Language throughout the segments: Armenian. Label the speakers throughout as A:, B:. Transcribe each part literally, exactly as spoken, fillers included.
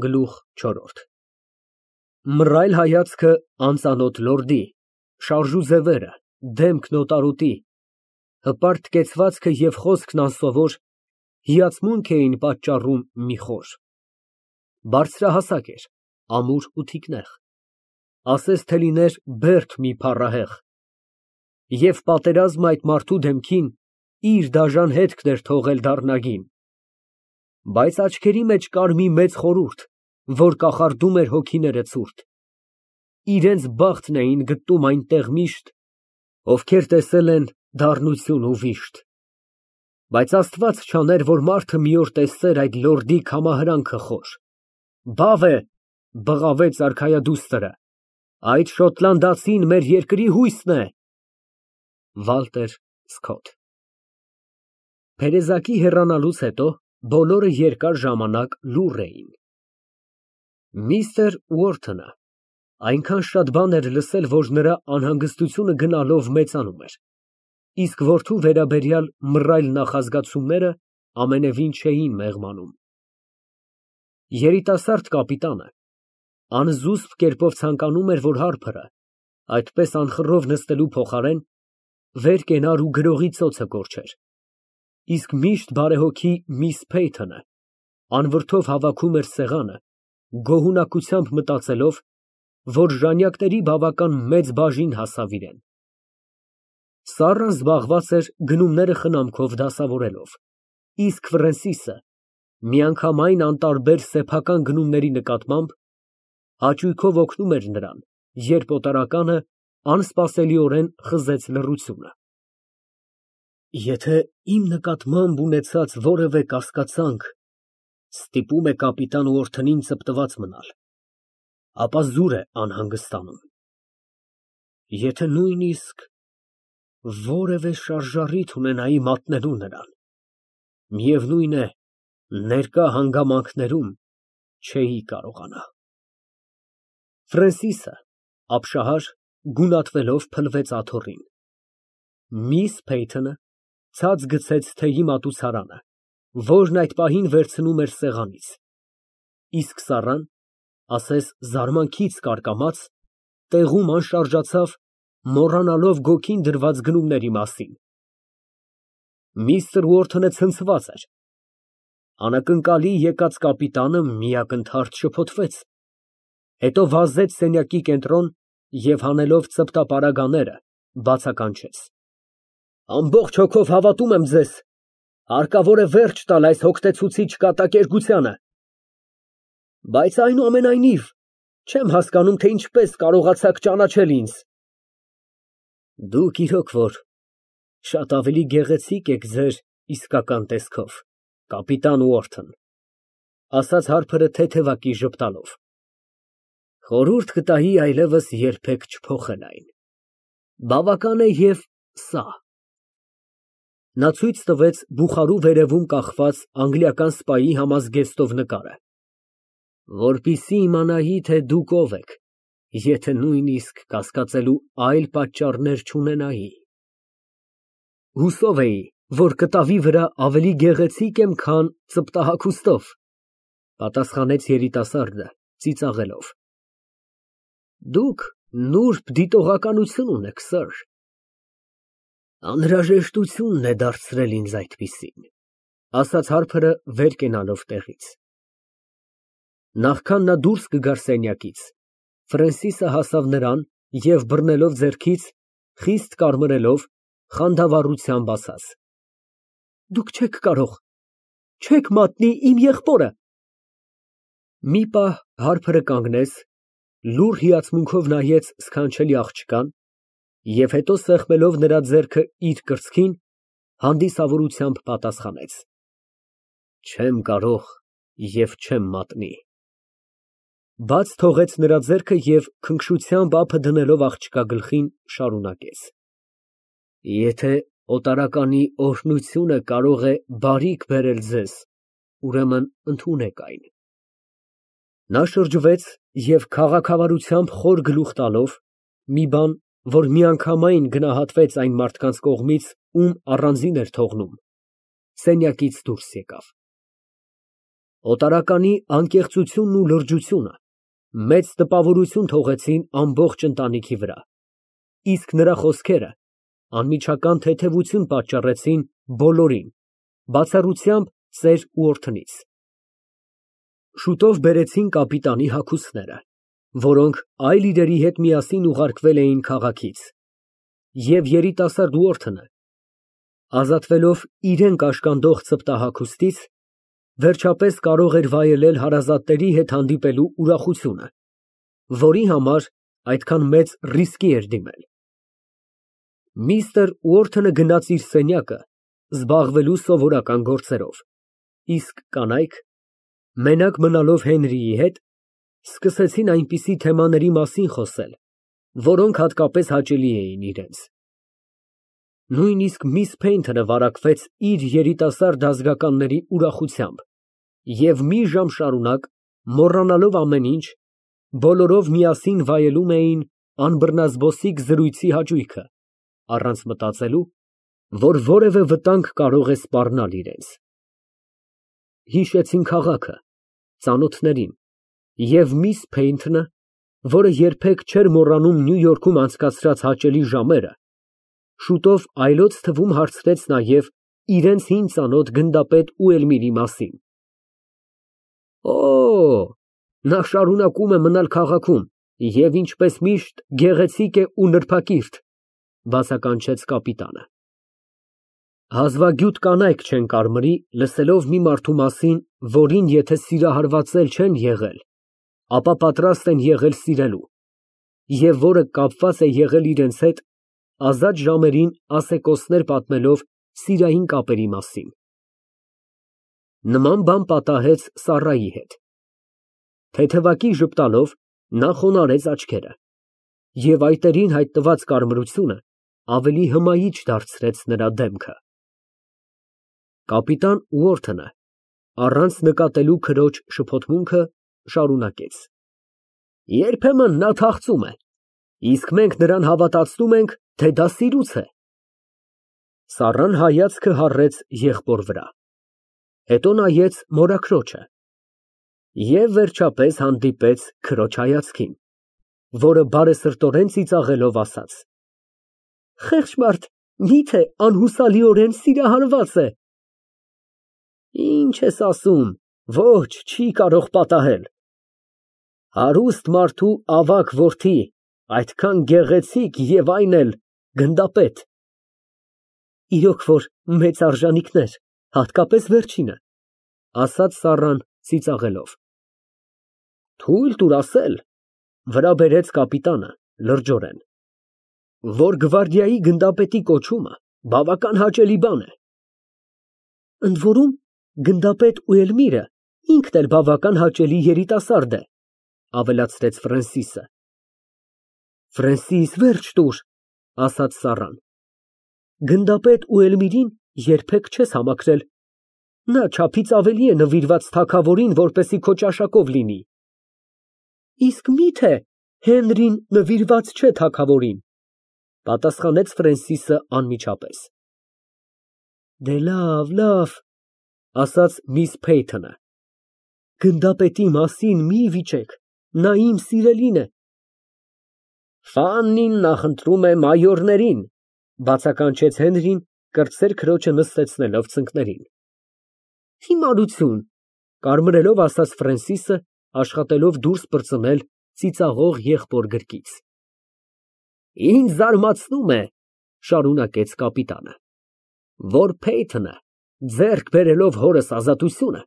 A: Գլուխ չորրորդ Մռայլ հայացքը անծանոթ լորդի, շարժուձևերը, դեմքն օտարոտի, հպարտ կեցվածքը և խոսքն անսովոր հիացմունք էին պատճառում մի խոր։ Բարձրահասակ էր, ամուր ու թիկնեղ, ասես թե լիներ բերդ մի փառահեղ, և պատերազմը այդ մարդու դեմքին իր դաժան հետքն էր թողել դառնագին, բայց աչքերի մեջ կար մի մեծ խորհուրդ, որ կախարդում էր հոգիները ցուրտ, իրենց բախտն էին գտնում այնտեղ միշտ, ովքեր տեսել են դառնություն ու վիշտ, բայց Աստված չաներ, որ մարդը մի օր տեսներ այդ լորդի քամահրանքը խոր։ Բավ է, բղավեց արքայադուստրը, այդ շոտլանդացին մեր երկրի հույսն է։ Վալտեր Սքոթ Փերեզակի հեռանալուց հետո բոլորը երկար ժամանակ լուռ էին։ Միստր Ուորթոնը այնքան շատ բան էր լսել, որ նրա անհանգստությունը գնալով մեծանում էր, իսկ որդու վերաբերյալ մռայլ նախազգացումները ամենևին չէին մեղմանում։ Երիտասարդ կապիտանը անզուսպ կերպով ցանկանում էր, որ Հարփրը, այդպես անխռով նստելու փոխարեն, վեր կենար ու գրողի ծոցը կորչեր, իսկ միշտ բարեհոգի միս Փեյթոնը անվրդով հավաքում էր սեղանը, գոհունակությամբ մտածելով, որ ժանյակների բավական մեծ բաժին հասավ իրեն։ Սառան զբաղված էր գնումները խնամքով դասավորելով, իսկ Ֆրենսիսը միանգամայն անտարբեր սեփական գնումների նկատմամբ հաճույքով օգնում էր նրան, երբ օտարականը անսպասելիորեն խզեց լռությունը։ Եթե իմ նկատմամբ ունեցած որևէ կասկածանք ստիպում է կապիտան Ուորթոնին ծպտված մնալ, ապա զուր է անհանգստանում։ Եթե նույնիսկ որևէ շարժառիթ ունենայի մատնելու նրան, միևնույն է, ներկա հանգամանքներում չէի կարողանա։ Ֆրենսիսը, ապշահար, գունատվելով փլվեց աթոռին։ Միս Փեյթոնը ցած գցեց թեյի մատուցարանը, որն այդ պահին վերցնում էր սեղանից, իսկ սառան, ասես զարմանքից կարկամած, տեղում անշարժացավ, մոռանալով գոգին դրված գնումների մասին։ Միստր Ուորթոնը ցնցված էր։ Անակնկալի եկած կապիտանը մի ակնթարթ շփոթվեց, հետո վազեց սենյակի կենտրոն և հանելով ծպտապարագաները, բացականչեց. Ամբողջ հոգով հավատում եմ ձեզ, հարկավոր է վերջ տալ այս հոգնեցուցիչ կատակերգությանը, բայց այնուամենայնիվ չեմ հասկանում, թե ինչպես կարողացաք ճանաչել ինձ։ Դուք իրոք որ շատ ավելի գեղեցիկ եք ձեր իսկական տեսքով, կապիտան Ուորթոն, ասաց Հարփրը թեթևակի ժպտալով։ Խորհուրդ կտայի այլևս երբեք չփոխել այն։ Բավական է և սա։ Նա ցույց տվեց բուխարու վերևում կախված անգլիական սպայի համազգեստով նկարը, որպեսզի իմանայի, թե դուք ով եք, եթե նույնիսկ կասկածելու այլ պատճառներ չունենայի։ Հուսով էի, որ կտավի վրա ավելի գեղեցիկ եմ, քան ծպտահագուստով, պատասխանեց երիտասարդը, ծիծաղելով։ Դուք նուրբ դիտողականություն ունեք, սըր։ Անհրաժեշտությունն է դարձրել ինձ այդպիսին, ասաց Հարփրը վեր կենալով տեղից։ Նախքան նա դուրս կգար սենյակից, Ֆրենսիսը հասավ նրան և բռնելով ձեռքից, խիստ կարմրելով, խանդավառությամբ ասաց. Դուք չեք կարող, չեք մատնի իմ եղբորը։ Մի պահ Հարփրը կանգնեց, լուռ հիացմունքով նայեց սքանչելի աղջկան և հետո սեղմելով նրա ձեռքը իր կրծքին, հանդիսավորությամբ պատասխանեց. Չեմ կարող և չեմ մատնի։ Բաց թողեց նրա ձեռքը և քնքշությամբ ափը դնելով աղջկա գլխին, շարունակեց. Եթե օտարականի օրհնությունը կարող է բարիք բերել ձեզ, ուրեմն ընդունեք այն։ Նա շրջվեց և քաղաքավարությամբ խոր գլուխ տալով, մի բան, որ միանգամայն գնահատվեց այն մարդկանց կողմից, ում առանձին էր թողնում, սենյակից դուրս եկավ։ Օտարականի անկեղծությունն ու լրջությունը մեծ տպավորություն թողեցին ամբողջ ընտանիքի վրա, իսկ նրա խոսքերը անմիջական թեթևություն պատճառեցին բոլորին, բացառությամբ ծեր ու օրդնից։ Շուտով բերեցին կապիտանի հագուստները, որոնք այլ իրերի հետ միասին ուղարկվել էին քաղաքից, և երիտասարդ ուորթնը, ազատվելով իրեն կաշկանդող ցպտահագուստից, վերջապես կարող էր վայելել հարազատների հետ հանդիպելու ուրախությունը, որի համար այդքան մեծ ռիսկի էր դիմել։ Միստր Ուորթոնը գնաց իր սենյակը զբաղվելու սովորական գործերով, իսկ կանայք, մենակ մնալով Հենրիի հետ, սկսեցին այնպիսի թեմաների մասին խոսել, որոնք հատկապես հաճելի էին իրենց։ Նույնիսկ միս Փեյնթոնը վարակվեց իր երիտասարդ ազգականների ուրախությամբ և մի ժամ շարունակ, մոռանալով ամեն ինչ, բոլորով միասին վայելում էին անբռնազբոսիկ զրույցի հաճույքը, առանց մտածելու, որ որևէ վտանգ կարող է սպառնալ իրենց։ Հիշեցին քաղաքը, ծանոթներին և միս Փեյնթոնը, որը երբեք չէր մոռանում Նյու Յորքում անցկացրած հաճելի ժամերը, շուտով այլոց թվում հարցրեց նաև իրենց հին ծանոթ գնդապետ Ուելմիրի մասին։ Օ, նա շարունակում է մնալ քաղաքում և, ինչպես միշտ, գեղեցիկ է ու նրբակիրթ, բացականչեց կապիտանը։ Հազվագյուտ կանայք չեն կարմրի, լսելով մի մարդու մասին, որին եթե սիրահարված էլ չեն եղել, ապա պատրաստ են եղել սիրելու, և որը կապված է եղել իրենց հետ, ազատ ժամերին ասեկոսներ պատմելով սիրային կապերի մասին։ Նման բան պատահեց Սառայի հետ։ Թեթևակի ժպտալով նա խոնարհեց աչքերը, և այտերին հայտնված կարմրությունը ավելի հմայիչ դարձրեց նրա դեմքը։ Կապիտան Ուորթոնը, առանց նկատելու քրոջ շփոթմունքը, շարունակեց. Երբեմն նա թախծում է, իսկ մենք նրան հավատացնում ենք, թե դա սիրուց է։ Սառան հայացքը հառեց եղբոր վրա, հետո նայեց մորաքրոջը և վերջապես հանդիպեց քրոջ հայացքին, որը բարեսրտորեն ծիծաղելով ասաց. Խեղճ մարդ, միթե անհուսալիորեն սիրահարված է։ Ինչ ես ասում, ոչ, չի կարող պատահել։ Հարուստ մարդու ավագ որդի, այդքան գեղեցիկ և այն էլ գնդապետ։ Իրոք որ մեծ արժանիքներ, հատկապես վերջինը, ասաց Սառան ծիծաղելով։ Թույլ տուր ասել, վրա բերեց կապիտանը լրջորեն, որ գվարդիայի գնդապետի կոչումը բավական հաճելի բան է։ Ընդ որում, գնդապետ Ուելմիրը ինքն էլ բավական հաճելի երիտասարդ է, ավելացրեց Ֆրենսիսը։ Ֆրենսիս, վերջ տուր, ասաց Սառան։ Գնդապետ Ուելմիրին երբեք չես համակրել, նա չափից ավելի է նվիրված թագավորին, որպեսզի քո ճաշակով լինի։ Իսկ միթե Հենրին նվիրված չէ թագավորին, պատասխանեց Ֆրենսիսը անմիջապես։ Դե լավ, լավ, ասաց միս Փեյնթոնը, գնդապետի մասին մի վիճեք, նա իմ սիրելին է։ Ֆաննին նախընտրում է մայորներին, բացականչեց Հենրին, կրտսեր քրոջը նստեցնելով ծնկներին։ Հիմարություն, կարմրելով ասաց Ֆրենսիսը, աշխատելով դուրս պրծնել ծիծաղող եղբոր գրկից։ Ինձ զարմացնում է, շարունակեց կապիտանը, որ Փեյնթոնը, ձեռք բերելով հորս ազատությունը,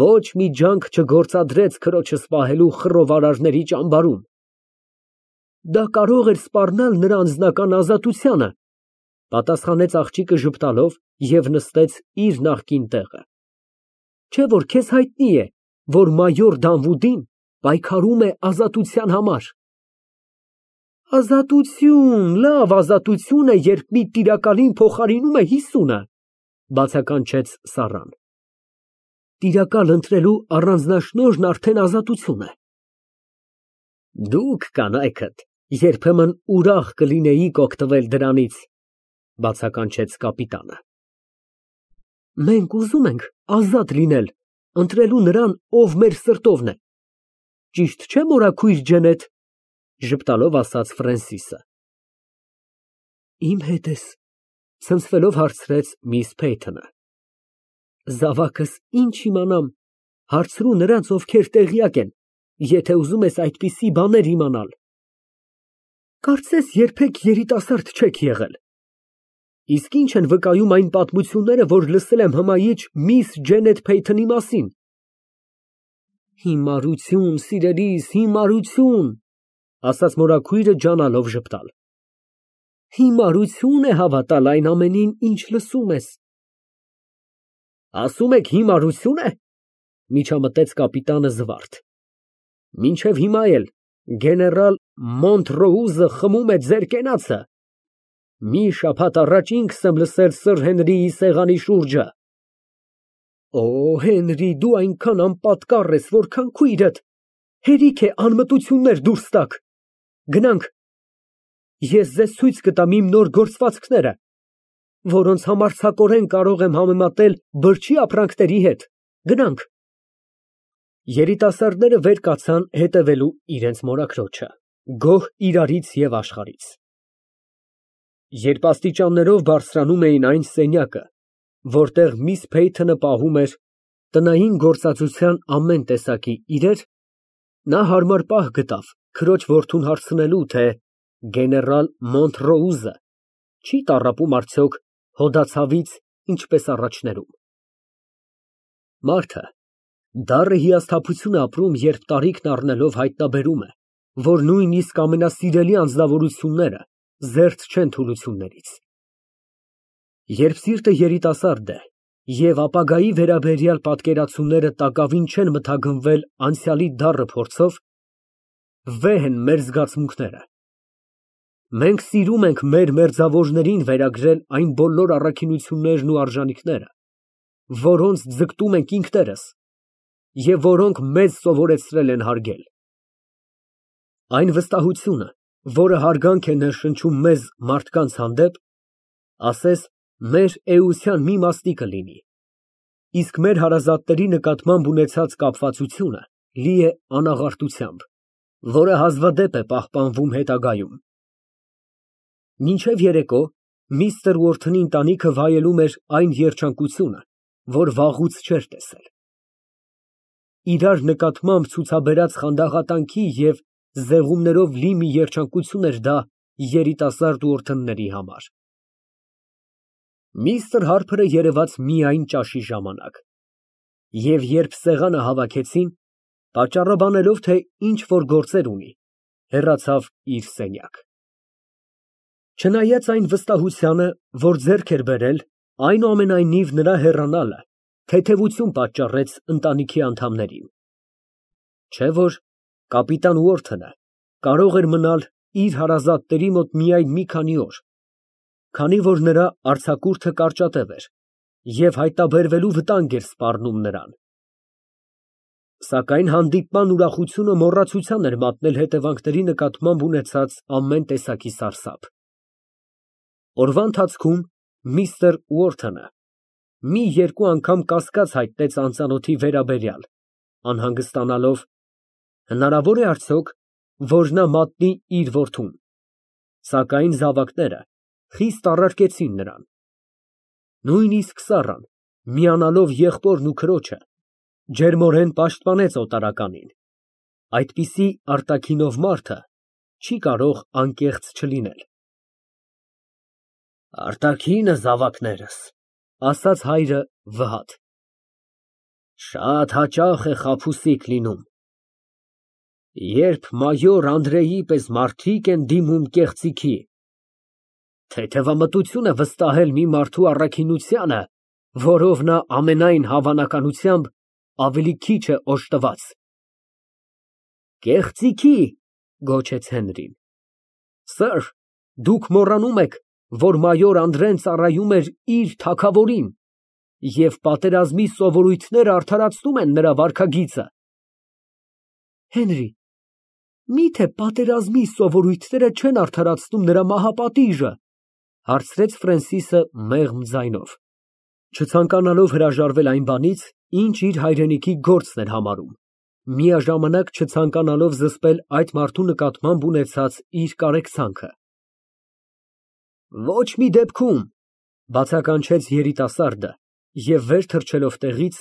A: ոչ մի ջանք չգործադրեց քրոջս պահելու խռովարարների ճամբարում։ Դա կարող էր սպառնալ նրա անձնական ազատությանը, պատասխանեց աղջիկը ժպտալով և նստեց իր նախկին տեղը։ Չէ՞ որ քեզ հայտնի է, որ մայոր Դանվուդին պայքարում է ազատության համար։ Ազատություն, լավ ազատություն է, երբ մի տիրակալին փոխարինում է հիսունը, բացականչեց Սառան։ Տիրակալ ընտրելու առանձնաշնորհն արդեն ազատություն է։ Դուք կանայքդ երբեմն ուրախ կլինեիք օգտվել դրանից, բացականչեց կապիտանը։ Մենք ուզում ենք ազատ լինել, ընտրելու նրան, ով մեր սրտովն է։ Ճիշտ չէ՞, մորաքույր ջենեթ, ժպտալով ասաց Ֆրենսիսը։ Իմ հետ ես, ցնցվելով հարցրեց միս Փեյթոնը։ Զավակս ինչ իմանամ, հարցրու նրանց, ովքեր տեղյակ են, եթե ուզում ես այդպիսի բաներ իմանալ։ Կարծես երբեք երիտասարդ չեք եղել։ Իսկ ինչ են վկայում այն պատմությունները, որ լսել եմ հմայիչ միս Ջենեթ Փեյթոնի մասին։ Հիմարություն, սիրելիս, հիմարություն, ասաց մորաքույրը ջանալով ժպտալ։ Հիմարություն է հավատալ այն ամենին, ինչ լսում ես։ Ասում եք հիմարություն է, միջամտեց կապիտանը զվարթ։ Մինչև հիմա էլ գեներալ Մոնտրոուզը խմում է ձեր կենացը։ Մի շաբաթ առաջ ինքս եմ լսել սըր Հենրիի սեղանի շուրջը։ Օ, Հենրի, դու այնքան անպատկառ ես, որքան քույրդ, հերիք է անմտություններ դուրս տաք։ Գնանք, ես ձեզ ցույց կտամ իմ նոր գործվածքները, որոնց համարձակորեն կարող եմ համեմատել բրջի ապրանքների հետ։ Գնանք։ Երիտասարդները վեր կացան հետևելու իրենց մորաքրոջը, գոհ իրարից և աշխարհից։ Երբ աստիճաններով բարձրանում էին այն սենյակը, որտեղ միս Փեյթոնը պահում էր տնային գործածության ամեն տեսակի իրեր, նա հարմար պահ գտավ քրոջ որդուն հարցնելու, թե գեներալ Մոնտրոուզը չի տառապում արդյոք հոդացավից, ինչպես առաջներում։ Մարդը դառը հիասթափություն է ապրում, երբ տարիքն առնելով հայտնաբերում է, որ նույնիսկ ամենասիրելի անձնավորությունները զերծ չեն թուլություններից։ Երբ սիրտը երիտասարդ է և ապագայի վերաբերյալ պատկերացումները տակավին չեն մթագնվել անցյալի դառը փորձով, վեհ են մեր զգացմունքները։ Մենք սիրում ենք մեր մերձավորներին վերագրել այն բոլոր առաքինություններն ու արժանինքները, որոնց ձգտում ենք ինքներս և որոնք մեզ սովորեցրել են հարգել։ Այն վստահությունը, որը հարգանք է ներշնչում մեզ մարդկանց հանդեպ, ասես մեր էության մի մասնիկը լինի, իսկ մեր հարազատների նկատմամբ ունեցած կապվածությունը լի է անաղարտությամբ, որը հազվադեպ է պահպանվում հետագայում։ Մինչև երեկո միստր Ուորթոնի ընտանիքը վայելում էր այն երջանկությունը, որ վաղուց չէր տեսել։ Իրար նկատմամբ ցուցաբերած խանդաղատանքի և զեղումներով լի մի երջանկություն էր դա երիտասարդ Ուորթոնների համար։ Միստր Հարփրը երևաց միայն ճաշի ժամանակ, և երբ սեղանը հավաքեցին, պատճառաբանելով, թե ինչ֊որ գործեր ունի, հեռացավ իր սենյակ։ Չնայած այն վստահությանը, որ ձեռք էր բերել, այնուամենայնիվ նրա հեռանալը թեթևություն պատճառեց ընտանիքի անդամներին։ Չէ՞ որ կապիտան Ուորթոնը կարող էր մնալ իր հարազատների մոտ միայն մի քանի օր, քանի որ նրա արձակուրդը կարճատև էր և հայտնաբերվելու վտանգ էր սպառնում նրան։ Սակայն հանդիպման ուրախությունը մոռացության էր մատնել հետևանքների նկատմամբ ունեցած ամեն տեսակի սարսափ։ Օրվա ընթացքում միստր Ուորթոնը մի երկու անգամ կասկած հայտնեց անծանոթի վերաբերյալ, անհանգստանալով, հնարավոր է արդյոք, որ նա մատնի իր որդուն, սակայն զավակները խիստ առարկեցին նրան։ Նույնիսկ Սառան, միանալով եղբորն ու քրոջը, ջերմորեն պաշտպանեց օտարականին։ Այդպիսի արտաքինով մարդը չի կարող անկեղծ չլինել։ Արտաքինը, զավակներս, ասաց հայրը վհատ, շատ հաճախ է խաբուսիկ լինում։ Երբ մայոր Անդրեի պես մարդիկ են դիմում կեղծիքի, թեթևամտություն է վստահել մի մարդու առաքինությանը, որով նա ամենայն հավանականությամբ ավելի քիչ է օժտված։ Կեղծիքի, գոչեց Հենրին։ Սըր, դուք մոռանում եք, որ մայոր Անդրեն ծառայում էր իր թագավորին, և պատերազմի սովորույթները արդարացնում են նրա վարքագիծը։ Հենրի, մի՞թե պատերազմի սովորույթները չեն արդարացնում նրա մահապատիժը, հարցրեց Ֆրենսիսը մեղմ ձայնով, չցանկանալով հրաժարվել այն բանից, ինչ իր հայրենիքի գործն էր համարում, միաժամանակ չցանկանալով զսպել այդ մարդու նկատմամբ ունեցած իր կարեկցանքը։ Ոչ մի դեպքում, բացականչեց երիտասարդը և վեր թռչելով տեղից,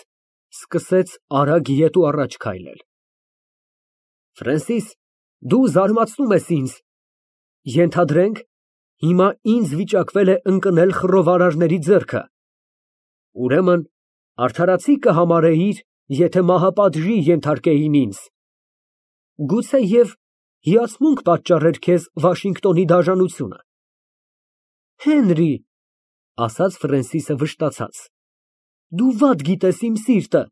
A: սկսեց արագ ետ ու առաջ քայլել։ Ֆրենսիս, դու զարմացնում ես ինձ, ենթադրենք, հիմա ինձ վիճակվել է ընկնել խռովարարների ձեռքը, ուրեմն արդարացի կհամարեիր, եթե մահապատժի ենթարկեին ինձ, գուցեև հիացմունք պատճառեր քեզ Վաշինգտոնի դաժանությունը։ Հենրի, ասաց Ֆրենսիսը վշտացած, դու վատ գիտես իմ սիրտը,